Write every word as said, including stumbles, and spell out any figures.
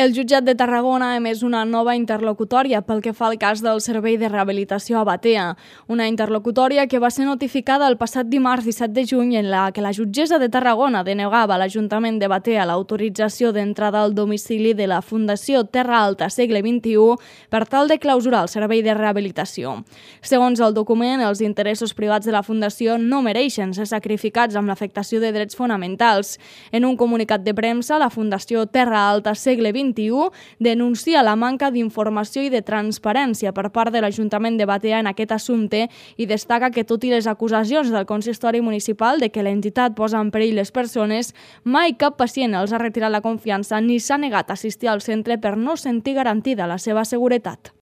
El jutjat de Tarragona ha emès una nova interlocutòria pel que fa al cas del servei de rehabilitació a Batea. Una interlocutòria que va ser notificada el passat dimarts disset de juny en la que la jutgessa de Tarragona denegava a l'Ajuntament de Batea l'autorització d'entrada al domicili de la Fundació Terra Alta Segle vint-i-u per tal de clausurar el servei de rehabilitació. Segons el document, els interessos privats de la Fundació no mereixen ser sacrificats amb l'afectació de drets fonamentals. En un comunicat de premsa, la Fundació Terra Alta Segle vint-i-u denuncia la manca d'informació i de transparència per part de l'Ajuntament de Batea en aquest assumpte i destaca que, tot i les acusacions del consistori municipal de que l'entitat posa en perill les persones, mai cap pacient els ha retirat la confiança ni s'ha negat a assistir al centre per no sentir garantida la seva seguretat.